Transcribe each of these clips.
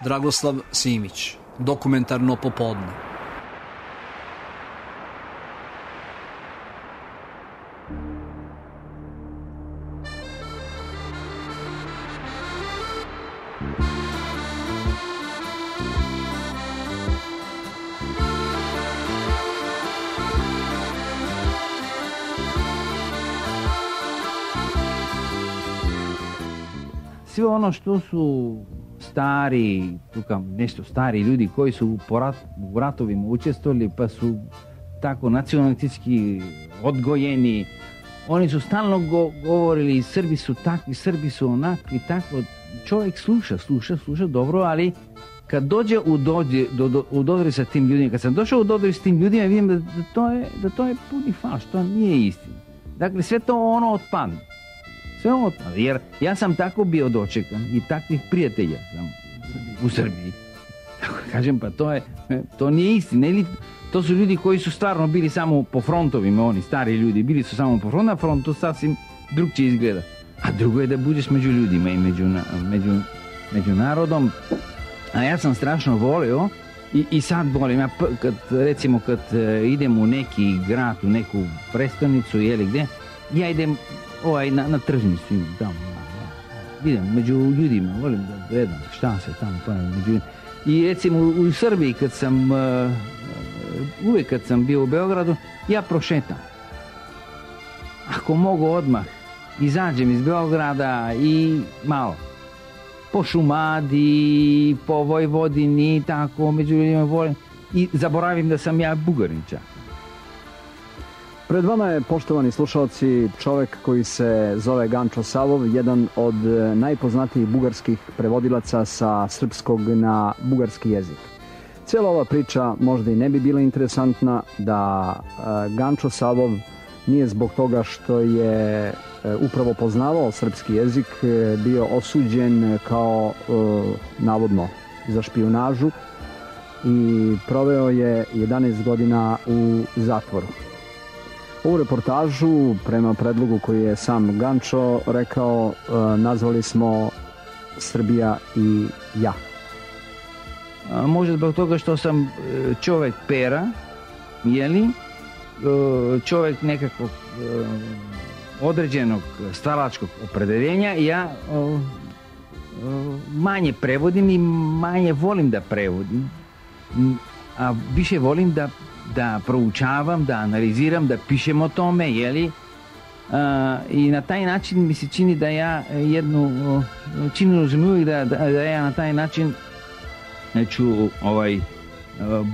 Dragoslav Simić, dokumentarno popodne. Sve ono što su stari, nešto stari ljudi koji su u ratovima učestvovali pa su tako nacionalistički odgojeni, oni su stalno govorili Srbi su takvi, Srbi su onakvi, tako. Čovjek sluša dobro, ali kad dođe u dodir sa tim ljudima, kad sam došao u dodir s tim ljudima, vidim da to je puni falš, to nije istina. Dakle, sve to ono otpadne. Sve ovo, jer ja sam tako bio dočekan i takvih prijatelja sam u Srbiji. Tako kažem, pa to nije istina. Ili to su ljudi koji su stvarno bili samo po frontovima, oni stari ljudi, bili su samo po frontu, a front to sasvim drugčije izgleda. A drugo je da budeš među ljudima i među narodom. A ja sam strašno volio i sad volim. Ja kad idem u neki grad, u neku prestonicu ili gdje, ja idem na tržnicu tamo, idem među ljudima, volim da gledam šta se tamo među. I recimo u Srbiji uvijek kad sam bio u Beogradu, ja prošetam. Ako mogu odmah, izađem iz Beograda i malo po Šumadiji, po Vojvodini, tako među ljudima volim i zaboravim da sam ja Bugarin čak. Pred vama je, poštovani slušalci, čovjek koji se zove Gančo Savov, jedan od najpoznatijih bugarskih prevodilaca sa srpskog na bugarski jezik. Cijela ova priča možda i ne bi bila interesantna da Gančo Savov nije zbog toga što je upravo poznavao srpski jezik bio osuđen kao navodno za špijunažu i proveo je 11 godina u zatvoru. Ovu reportažu, prema predlogu koji je sam Gančo rekao, nazvali smo Srbija i ja. Možda zbog toga što sam čovjek pera, čovjek nekakvog određenog stalačkog opredeljenja, ja manje prevodim i manje volim da prevodim, a više volim da proučavam, da analiziram, da pišem o tome, i na taj način mi se čini da ja da ja na taj način ću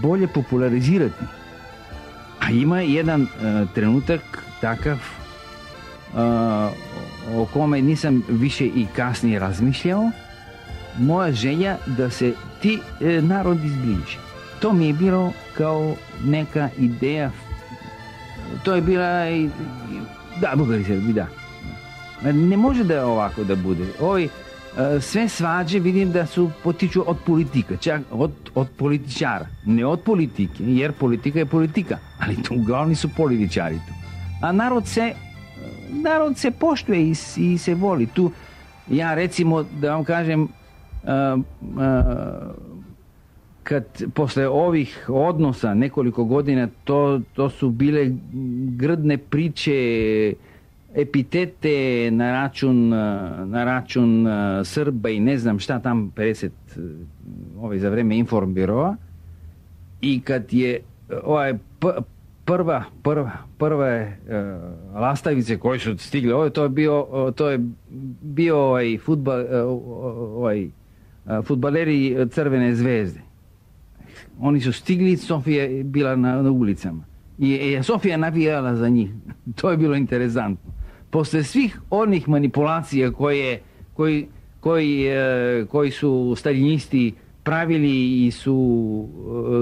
bolje popularizirati. A ima jedan trenutak takav o kome nisam više i kasnije razmišljao, moja želja da se ti narodi zbliže. To mi je bilo kao neka ideja, to je bila Bugari Srbi, da. Ne može da ovako da bude. Sve svađe vidim da su potiču od politika, čak od političara, ne od politike, jer politika je politika, ali tu uglavni su političari tu. A narod se poštuje i se voli. Tu ja recimo da vam kažem, kad posle ovih odnosa nekoliko godina to su bile grdne priče, epitete na račun Srba i ne znam šta tam 50 za vreme Informbiroa, i kad je prve lastavice koje su stigle, to je bio fudbaleri Crvene zvezde. Oni su stigli, Sofija je bila na ulicama i Sofija navijala za njih. To je bilo interesantno. Posle svih onih manipulacija koji su staljinisti pravili i su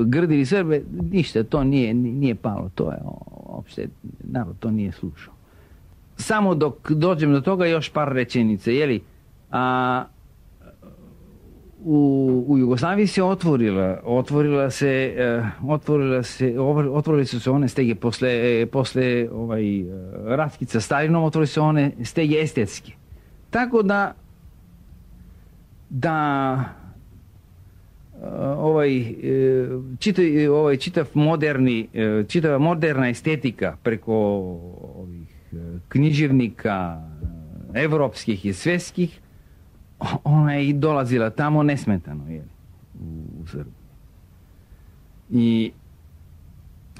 grdili Srbe, ništa, to nije palo. To je uopšte, narod to nije slušao. Samo dok dođem do toga, još par rečenica, u Jugoslaviji se otvorile su se one stege posle ratkica Stalinom, otvorile su one stege estetske. Tako da čitava moderna estetika preko ovih književnika evropskih i svjetskih, ona je i dolazila tamo nesmetano, u Srbiji. I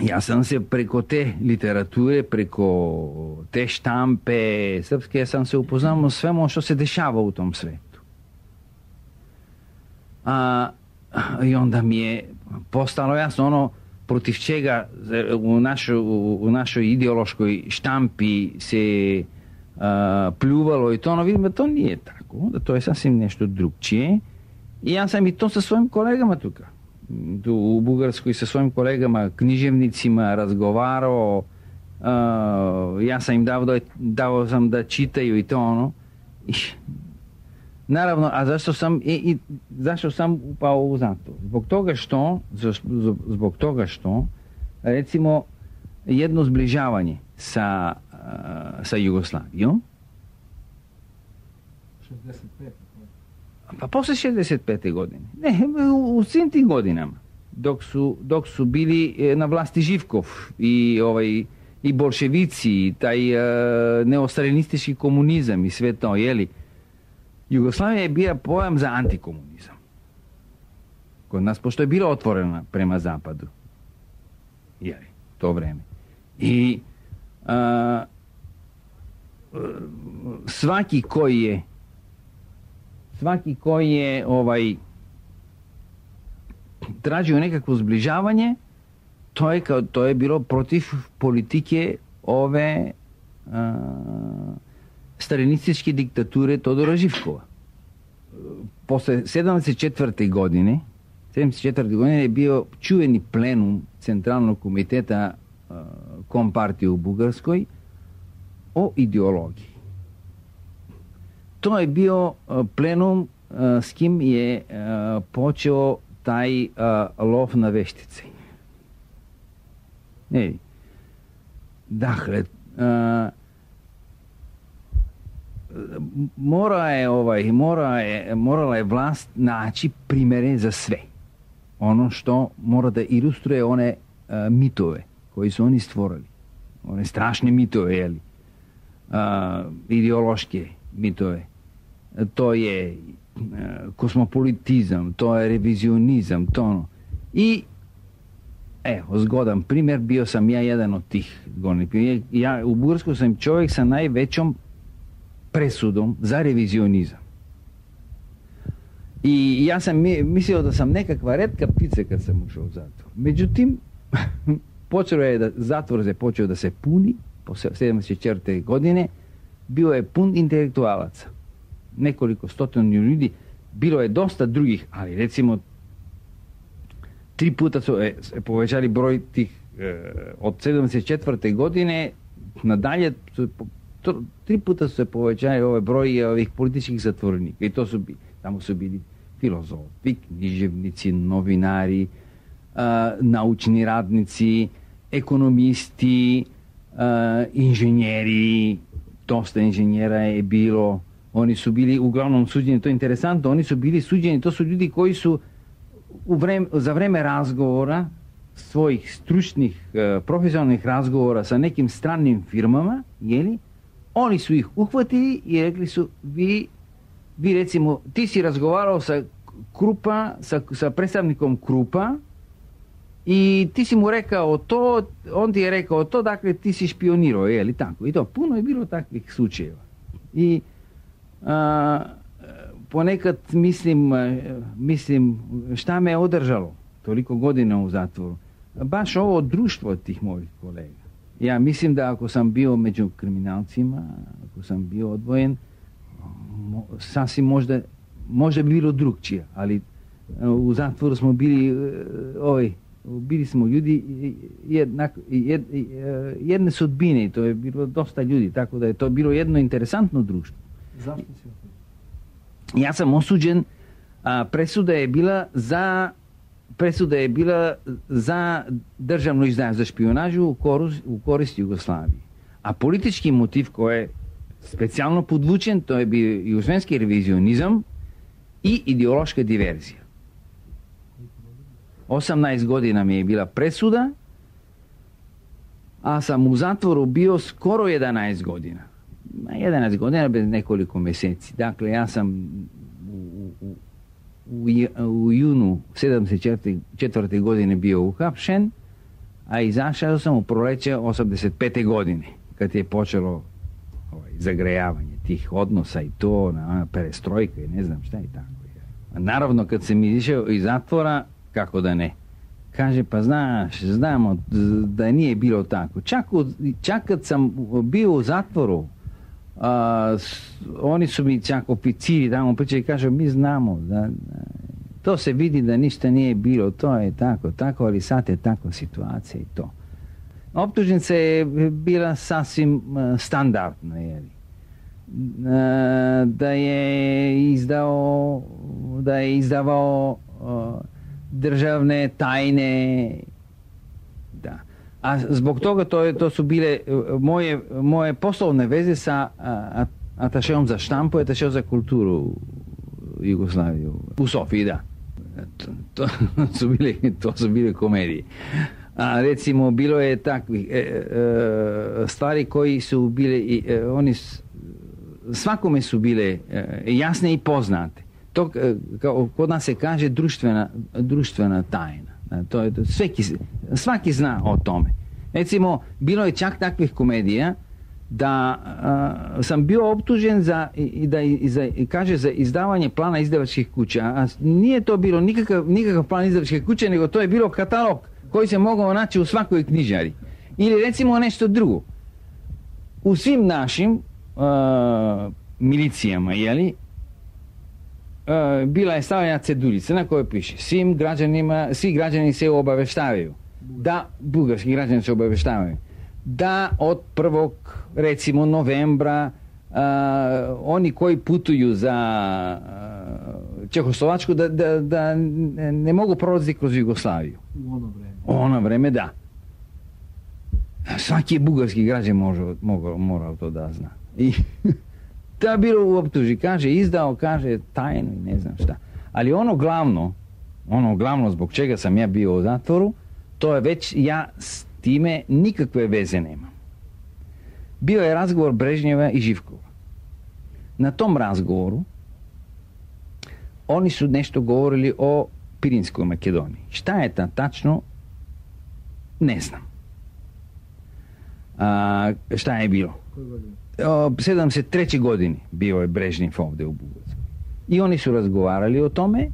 ja sam se preko te literature, preko te štampe srpske, sam se upoznao svemu što se dešava u tom svetu. I onda mi je postalo jasno ono protiv čega u našoj ideološkoj štampi se pljuvalo i to, ono vidimo da to nije tako, da to je sasvim nešto drugčije. I ja sam i to sa svojim kolegama tu u Bugarskoj, sa svojim kolegama književnicima razgovarao, ja sam im dao sam da čitaju i to ono. I, naravno, a zašto sam upao u zatvor? Zbog toga što recimo jedno zbližavanje sa Jugoslavijom, 65. pa posle 65. godine, ne, u svim tim godinama, dok su bili na vlasti Živkov i bolševici, i taj neostalinistički komunizam i sve to, Jugoslavija je bila pojam za antikomunizam. Kod nas, pošto je bila otvorena prema zapadu. To vreme. I svaki koji je tražio nekakvo zbližavanje, to je bilo protiv politike ove stalinističke diktature Todora Živkova. Posle 74. godine je bio čuveni plenum Centralnog komiteta Kompartije u Bugarskoj o ideologiji. To je bio plenum s kim je počeo taj lov na veštice. Dakle, morala je vlast naći primere za sve. Ono što mora da ilustruje one mitove koji su oni stvorili. One strašne mitove, ideološke mitove. To je kosmopolitizam, to je revizionizam, to ono. I zgodan primjer, bio sam ja jedan od tih govornika. Ja u Bugarskoj sam čovjek sa najvećom presudom za revizionizam. I ja sam mislio da sam nekakva retka ptica kad sam ušao u zatvor. Međutim, zatvor je počeo da se puni po 74. godine, bio je pun intelektualaca. Nekoliko stotinu ljudi, bilo je dosta drugih, ali recimo 3 puta su povećali broj tih od 74. godine nadalje, 3 puta su se povećali broj ovih političkih zatvorenika. I tamo su bili filozofi, književnici, novinari, naučni radnici, ekonomisti, inženjeri, dosta inženjera je bilo. Oni su bili uglavnom suđeni, to je interesantno, oni su bili suđeni, to su ljudi koji su za vreme razgovora, svojih stručnih, profesionalnih razgovora sa nekim stranim firmama, oni su ih uhvatili i rekli su, vi recimo, ti si razgovarao sa Krupa, sa predstavnikom Krupa i ti si mu rekao to, on ti je rekao to, dakle ti si špionirao, tako. I to, puno je bilo takvih slučajeva. I ponekad mislim šta me je održalo toliko godina u zatvoru. Baš ovo društvo tih mojih kolega. Ja mislim da ako sam bio među kriminalcima, ako sam bio odvojen, sasvim možda bi bilo drugčije, ali u zatvoru smo bili smo ljudi jedne sudbine, to je bilo dosta ljudi, tako da je to bilo jedno interesantno društvo. Zašto si osuđen? Ja sam osuđen, presuda je bila za državno izdanje, za špionažu u korist Jugoslavije. A politički motiv koji je specijalno podvučen, to je bio jugoslovenski revizionizam i ideološka diverzija. 18 godina mi je bila presuda, a sam u zatvoru bio skoro 11 godina. 11 godina bez nekoliko mjeseci. Dakle, ja sam u junu 74. godine bio uhapšen, a izašao sam u proleće 85. godine, kad je počelo zagrejavanje tih odnosa i to, perestrojka i ne znam šta i tako. A naravno, kad sam izišao iz zatvora, kako da ne? Kaže, pa znamo da nije bilo tako. Čak kad sam bio u zatvoru, oni su mi čak oficiri tamo pričali, kaže, mi znamo da to se vidi da ništa nije bilo, to je tako, ali sad je tako situacija i to. Optužnica je bila sasvim standardna, jeli. Da je izdavao državne tajne, da. A zbog toga to su bile moje poslovne veze sa atašeom za štampu i atašeom za kulturu Jugoslaviju u Sofiji, da. To su bile komedije. A recimo bilo je takvih stvari koji su bile svakome su bile jasne i poznate. To kod nas se kaže društvena tajna. Svaki zna o tome. Recimo, bilo je čak takvih komedija da sam bio optužen za izdavanje plana izdavačkih kuća. A nije to bilo nikakav plan izdavačke kuće, nego to je bilo katalog koji se mogao naći u svakoj knjižari. Ili recimo nešto drugo. U svim našim milicijama, jeli, bila je stavljena cedulica na kojoj piše svi građani se obaveštavaju, da bugarski građani se obaveštavaju da od 1. recimo novembra oni koji putuju za Čehoslovačku da ne mogu prolaziti kroz Jugoslaviju. U ono vreme, da. Svaki bugarski građan morao to da zna. I to je bilo u optuži. Izdao tajnu i ne znam šta. Ali ono glavno zbog čega sam ja bio u zatvoru, to je već ja s time nikakve veze nemam. Bio je razgovor Brežnjeva i Živkova. Na tom razgovoru oni su nešto govorili o Pirinskoj Makedoniji. Šta je ta tačno? Ne znam. Šta je bilo? 73. godini bio je Brežnjev ovdje u Bugarskoj. I oni su razgovarali o tome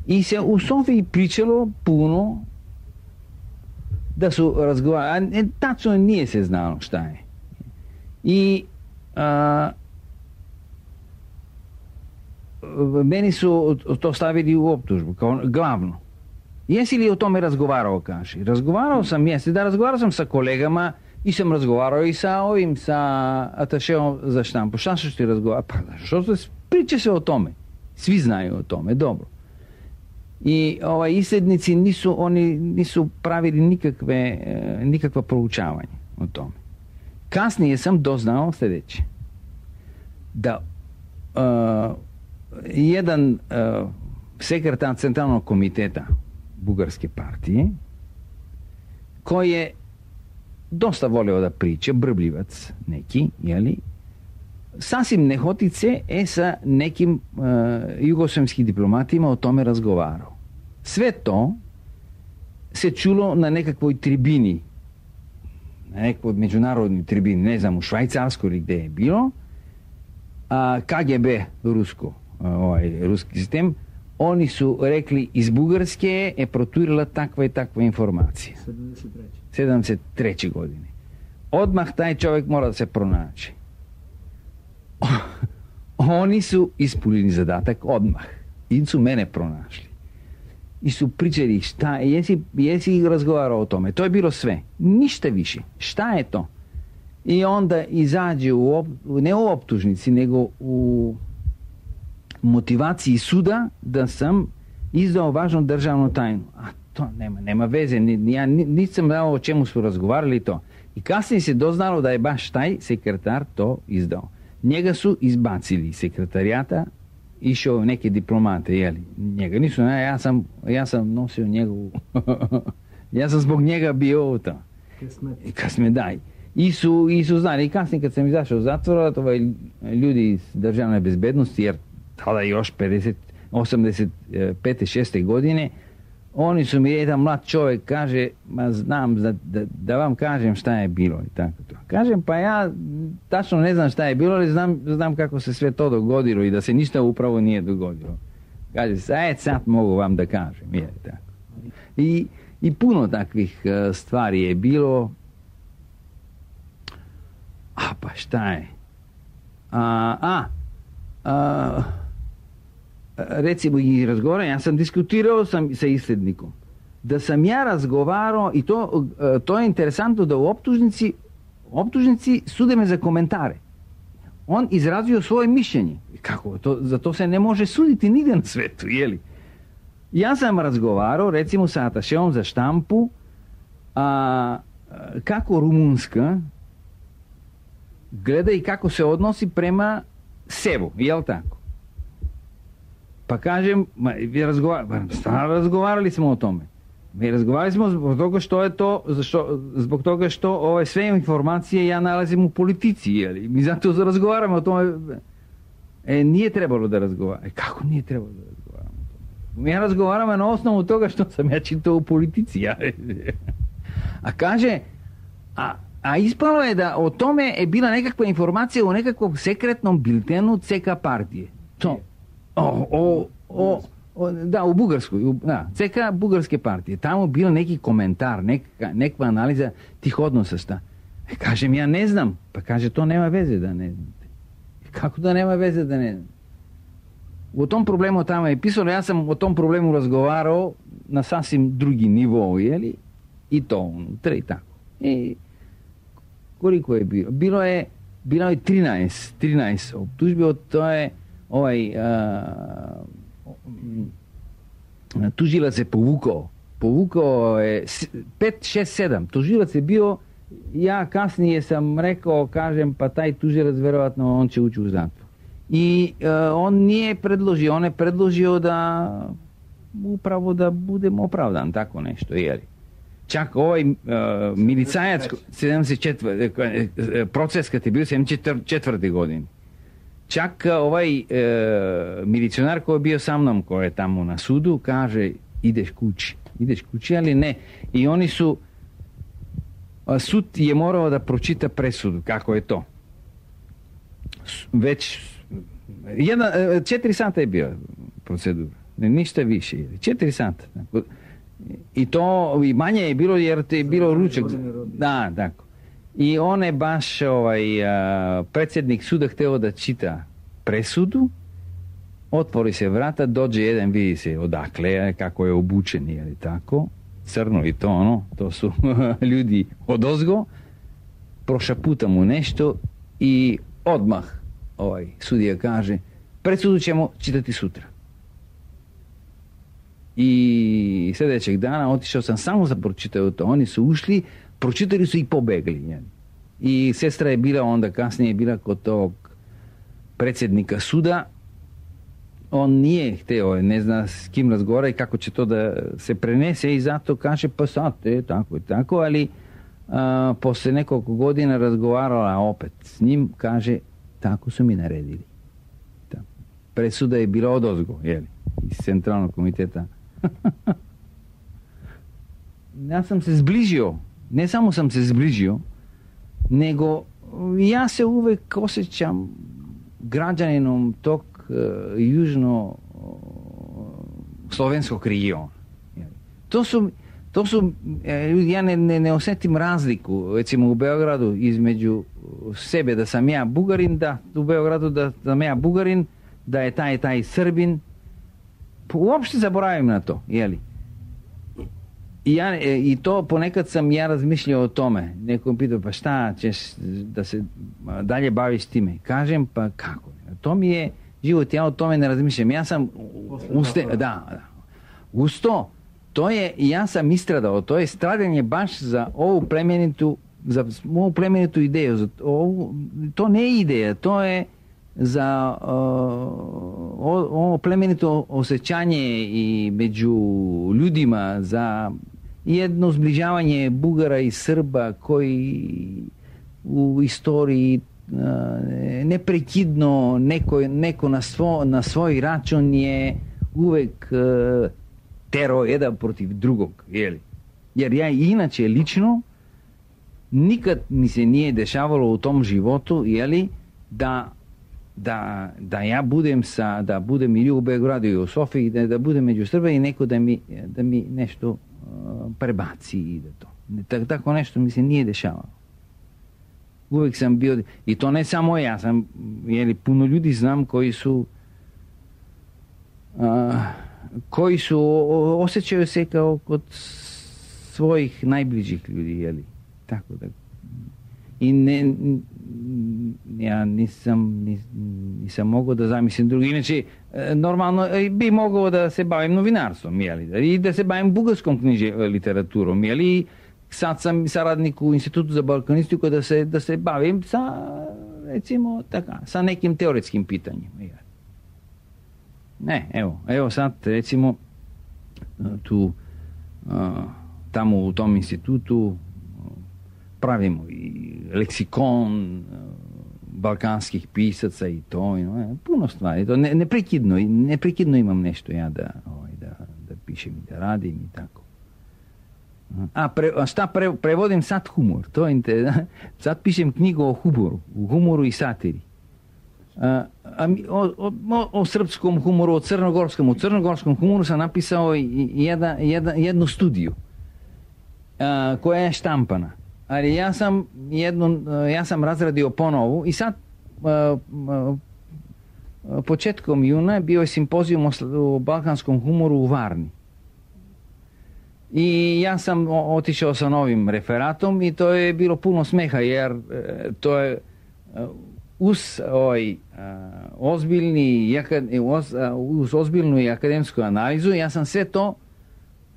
i se u Sofiji pričalo puno da su razgovarali. Tačno nije se znalo šta je. I meni su to stavili u optužbu kao glavno. Jesi li o tome razgovarao, kaže? Razgovarao sam sa kolegama i sam razgovarao i sa atašeom za štampu. Šta su ti razgovarali? Pa priča se o tome. Svi znaju o tome, dobro. I isljednici nisu pravili nikakva proučavanja o tome. Kasnije sam doznao sljedeće. Da jedan sekretar centralnog komiteta Bugarske partije, koji je dosta volio da priče, brbljivac neki, jeli, sasvim nehotice sa nekim jugoslavskim diplomatima o tome razgovarao. Sve to se čulo na nekakvoj tribini, na nekoj međunarodnoj tribini, ne znam, u Švajcarskoj ili gdje je bilo, KGB ruski sistem, oni su rekli iz Bugarske je proturila takva i takva informacija. 73. godine. Odmah taj čovjek mora da se pronaći. Oni su ispunili zadatak odmah. I su mene pronašli. I su pričali šta, jesi razgovarao o tome. To je bilo sve. Ništa više. Šta je to? I onda izađe ne u optužnici, nego u motivaciji suda da sam izdao važnu državnu tajnu. A to nema veze. Ja nisam znao o čemu su razgovarali to. I kasnije se doznalo da je baš taj sekretar to izdao. Njega su izbacili iz sekretarijata išao neke diplomate, jeli, njega nisu, ja sam nosio njegovu, ja sam zbog njega bio to. Kasme daj. I su znali, i kasnije kad sam izašao iz zatvora, ljudi iz državne bezbednosti, jer tada još 85. 6. godine, oni su mi, jedan mlad čovjek kaže, ma znam da vam kažem šta je bilo i tako to. Kažem, pa ja tačno ne znam šta je bilo, ali znam kako se sve to dogodilo i da se ništa upravo nije dogodilo. Kaže, sad mogu vam da kažem, je tako. I puno takvih stvari je bilo. Pa šta je? Recimo i razgovaram, ja sam diskutirao sa isljednikom. Da sam ja razgovarao, i to je interesantno, da u optužnici sude me za komentare. On izrazio svoje mišljenje. Kako? Za to se ne može suditi nigdje na svetu, jeli? Ja sam razgovarao, recimo, sa atašeom za štampu, kako Rumunjska gleda i kako se odnosi prema Sebu, jel tako? Pa kažem, razgovarali smo o tome. Mi razgovarali smo zbog toga što je to, zbog toga što sve informacije ja nalazim u politici, jeli? Mi zato razgovaramo o tome. Nije trebalo da razgovaramo. Kako nije trebalo da razgovaramo o tome? Ja razgovaramo na osnovu toga što sam ja čitao u politici. A kaže, a ispalo je da o tome je bila nekakva informacija u nekakvom sekretnom biltenu CK partije. To. Da, u Bugarskoj. CK Bugarske partije. Tamo bio neki komentar, nekakva analiza tih odnosa šta. Kažem, ja ne znam. Pa kaže, to nema veze da ne znate. Kako da nema veze da ne znate? O tom problemu tamo je pisalo, ja sam o tom problemu razgovarao na sasvim drugi nivou, jeli? I to unutra i tako. I koliko je bilo? Bilo je 13 optužbi, to je tužilac je povukao je 5, 6, 7. Tužilac je bio, ja kasnije sam rekao, kažem, pa taj tužilac verovatno on će ući u zatvor. I on nije predložio, on je predložio da upravo da budem opravdan, tako nešto, jeli. Čak milicajac 74. proces kad je bio 74. godine. Čak milicionar koji je bio sa mnom, koji je tamo na sudu, kaže, ideš kući, ali ne. I oni su, sud je morao da pročita presudu, kako je to. Već 4 sata je bio procedura, ništa više, 4 sata. I to i manje je bilo jer te je bilo ručak. Da, tako. I on je baš predsjednik suda htio da čita presudu, otvori se vrata, dođe jedan, vidi se odakle, kako je obučen, ili tako, crno i to su ljudi odozgo, prošaputa mu nešto i odmah sudija kaže, presudu ćemo čitati sutra. I sljedećeg dana otišao sam samo za pročitao to. Oni su ušli, pročitali su i pobegli. I sestra je bila onda kasnije bila kod tog predsjednika suda. On nije htio, ne zna s kim razgovara i kako će to da se prenese i zato kaže pa sad tako i tako, ali poslije nekoliko godina razgovarala opet s njim, kaže tako su mi naredili. Presuda je bila odozgo, iz centralnog komiteta. Ja sam se zbližio, ne samo sam se zbližio, nego ja se uvijek osjećam građaninom tog južno slovenskog regiona. To su ja ne osjetim razliku, recimo u Beogradu između sebe da sam ja Bugarin, da u Beogradu da sam ja Bugarin, da je taj Srbin. Uopšte zaboravim na to, jeli? I to ponekad sam ja razmišljao o tome. Neko mi pitao, pa šta ćeš da se dalje baviš time? Kažem, pa kako? To mi je život, ja o tome ne razmišljam. Ja sam uz to je, ja sam istradao, to je stradanje baš za ovu plemenitu ideju. To ne je ideja, to je za ovo plemenito osjećanje i među ljudima, za jedno zbližavanje Bugara i Srba koji u istoriji neprekidno neko na svoj račun je uvek terao jedan protiv drugog, jeli? Jer ja inače lično nikad mi se nije dešavalo u tom životu, jeli, da ja budem ili u Beogradu i u Sofiji, da budem među Srba i neko da mi nešto prebaci i da to. Tako nešto mi se nije dešavalo. Uvijek sam bio, i to ne samo ja, puno ljudi znam koji su osjećaju se kao kod svojih najbližih ljudi, jeli? Tako da. I ja nisam mogao da zamislim drugi. Inače, normalno bi mogao da se bavim novinarstvom, jeli? I da se bavim bugarskom literaturom, jeli? Sad sam saradnik u Institutu za balkanistiku da se bavim sa, recimo, sa nekim teoretskim pitanjima. Ne, evo sad, recimo, tamo u tom institutu pravimo i leksikon balkanskih pisaca i to, puno stvari. To neprekidno imam nešto ja da pišem i da radim i tako. Šta prevodim sad humor? Sad pišem knjigu o humoru i satiri. O srpskom humoru, o crnogorskom. U crnogorskom humoru sam napisao jednu studiju koja je štampana. Ali ja sam razradio ponovu i sad početkom juna bio je simpozijum o balkanskom humoru u Varni. I ja sam otišao sa novim referatom i to je bilo puno smeha jer to je uz ozbiljnu i akademsku analizu ja sam sve to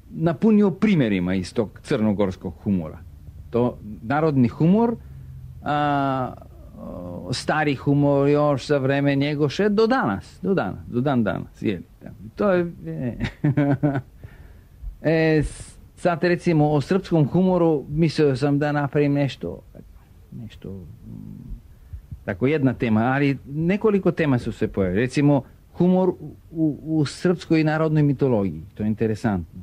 napunio primjerima iz tog crnogorskog humora. To narodni humor, stari humor još za vreme Njegoše do dan danas. To je sad recimo o srpskom humoru mislio sam da napravim nešto tako jedna tema, ali nekoliko tema su se pojavili. Recimo humor u srpskoj narodnoj mitologiji, to je interesantno.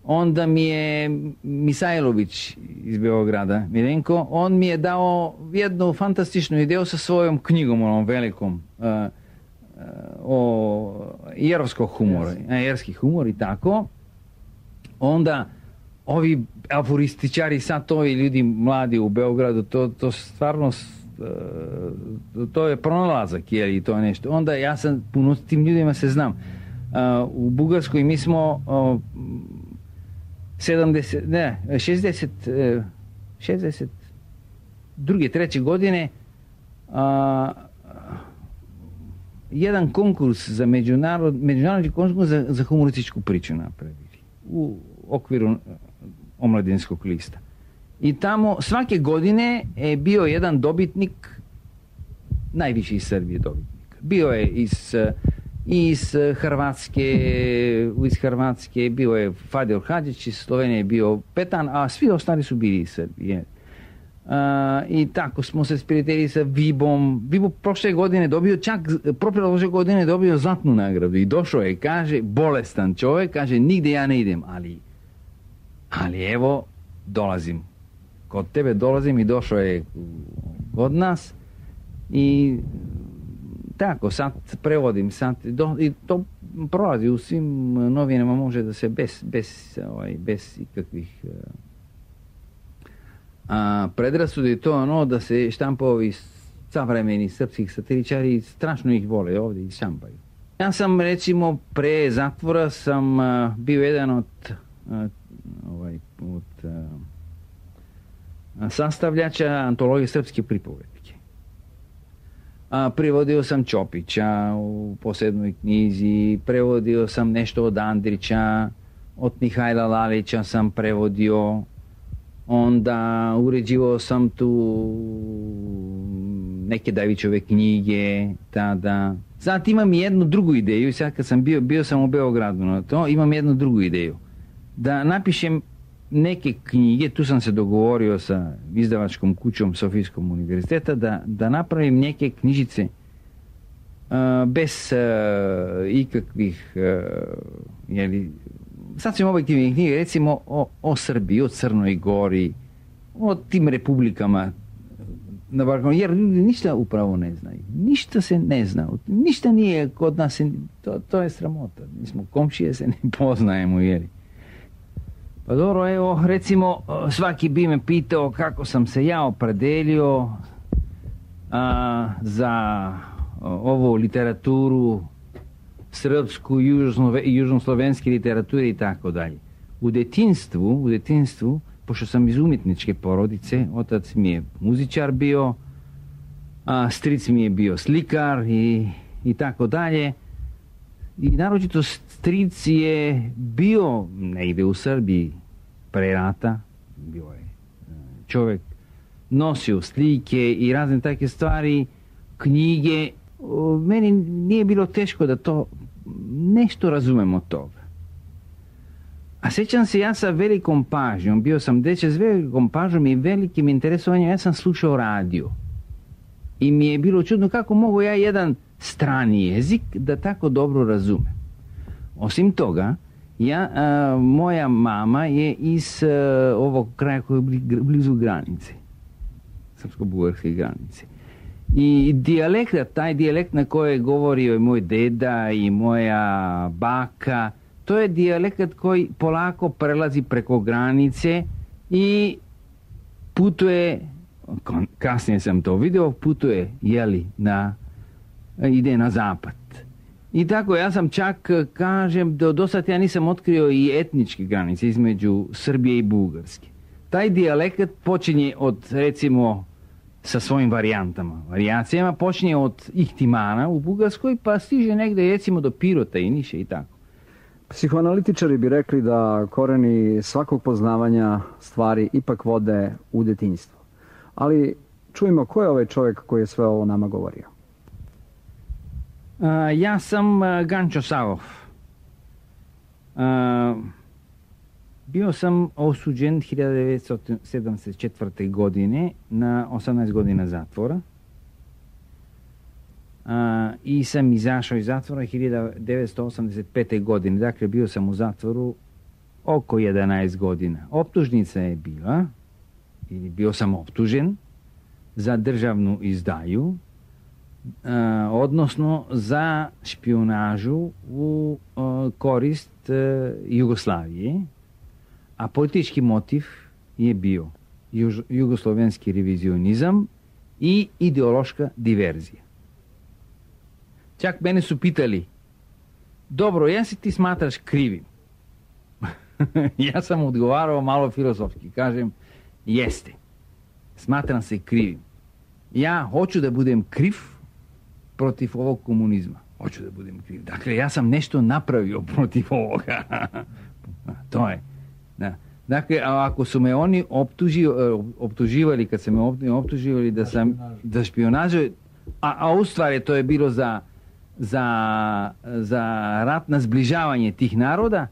Onda mi je Misajlović iz Beograda, Milenko, on mi je dao jednu fantastičnu ideju sa svojom knjigom, onom velikom, o jerovskog humora, jerski humor i tako. Onda ovi aforističari, sad to i ljudi mladi u Beogradu, to stvarno, to je pronalazak, i to je nešto. Onda ja sam, puno s tim ljudima se znam. U Bugarskoj mi smo 62. 3. godine jedan konkurs za međunarodni konkurs za humorističku priču napravili u okviru omladinskog lista. I tamo svake godine je bio jedan dobitnik, najviši iz Srbije dobitnik. Bio je iz Hrvatske, bio je Fadil Hadžić, iz Slovenije je bio Petan, a svi ostali su bili iz Srbije. I tako smo se sprijateljili sa Vibom. Vibo prošle godine dobio zlatnu nagradu i došao je, kaže, bolestan čovjek, kaže, nigde ja ne idem, ali evo, dolazim. Kod tebe dolazim i došao je kod nas i tako, sad prevodim, i to prolazi u svim novinama, može da se bez ikakvih predrasudi to da se štampovi savremeni srpskih satiričari strašno ih vole ovdje i štampaju. Ja sam recimo pre zatvora sam bio jedan od sastavljača antologije srpske pripovetke. Prevodio sam Čopića u posebnoj knjizi, prevodio sam nešto od Andrića, od Mihajla Lalića sam prevodio, onda uređivao sam tu neke Davićove knjige tada. Sad imam jednu drugu ideju, sad kad sam bio sam u Beogradu na to, imam jednu drugu ideju. Da napišem neke knjige, tu sam se dogovorio sa izdavačkom kućom Sofijskog univerziteta, da napravim neke knjižice bez ikakvih sasvim objektivnih knjiga, recimo o Srbiji, o Crnoj Gori, o tim republikama na Balkanu, jer ljudi ništa upravo ne znaju. Ništa se ne zna. Ništa nije kod nas, to je sramota. Mi smo komšije, se ne poznajemo, jeli. Pa dobro, evo, recimo, svaki bi me pitao kako sam se ja opredelio za ovu literaturu, srpsku, južnoslovenske literaturi i tako dalje. U detinstvu, pošto sam iz umjetničke porodice, otac mi je muzičar bio, stric mi je bio slikar i tako dalje. I naročito stric je bio negdje u Srbiji pre rata, bio je čovjek, nosio slike i razne takve stvari, knjige. Meni nije bilo teško da to nešto razumem od toga. A sjećam se, ja sa velikom pažnjom, bio sam dečak s velikom pažnjom i velikim interesovanjem, ja sam slušao radio. I mi je bilo čudno kako mogu ja jedan strani jezik da tako dobro razumem. Osim toga, moja mama je iz ovog kraja koji je blizu granice, srpsko-bugarske granice. I taj dijalekt na koje govorio i moj deda i moja baka, to je dijalekt koji polako prelazi preko granice i putuje, kasnije sam to vidio, putuje, ide na zapad. I tako, ja sam čak, kažem, do sad ja nisam otkrio i etničke granice između Srbije i Bugarske. Taj dijalekt počinje od, recimo, sa svojim varijacijama, počinje od Ihtimana u Bugarskoj, pa stiže negdje, recimo, do Pirota i Niša i tako. Psihoanalitičari bi rekli da koreni svakog poznavanja stvari ipak vode u detinjstvo. Ali čujemo, ko je ovaj čovjek koji je sve ovo nama govorio? Ja sam Gančo Savov. Bio sam osuđen 1974. godine na 18 godina zatvora. I sam izašao iz zatvora 1985. godine. Dakle, bio sam u zatvoru oko 11 godina. Optužnica je bila, ili bio sam optužen za državnu izdaju, odnosno za špionažu u korist Jugoslavije, a politički motiv je bio jugoslovenski revizionizam i ideološka diverzija. Čak mene su pitali, dobro, ja se ti smatraš krivim? Ja sam odgovarao malo filozofski, kažem, jeste, smatram se krivim. Ja hoću da budem kriv protiv ovog komunizma. Hoću da budem kriv. Dakle, ja sam nešto napravio protiv ovoga. To je. Da. Dakle, ako su me oni optuživali, kad su me optuživali da sam za špionažu, a u stvari to je bilo za rat na zbližavanje tih naroda,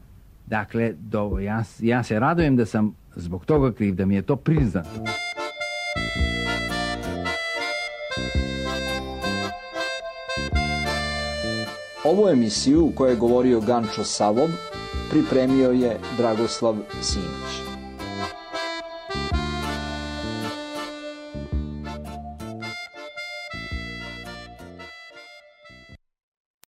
dakle, ja se radujem da sam zbog toga kriv, da mi je to priznato. Ovu emisiju u kojoj je govorio Gančo Savov pripremio je Dragoslav Simić.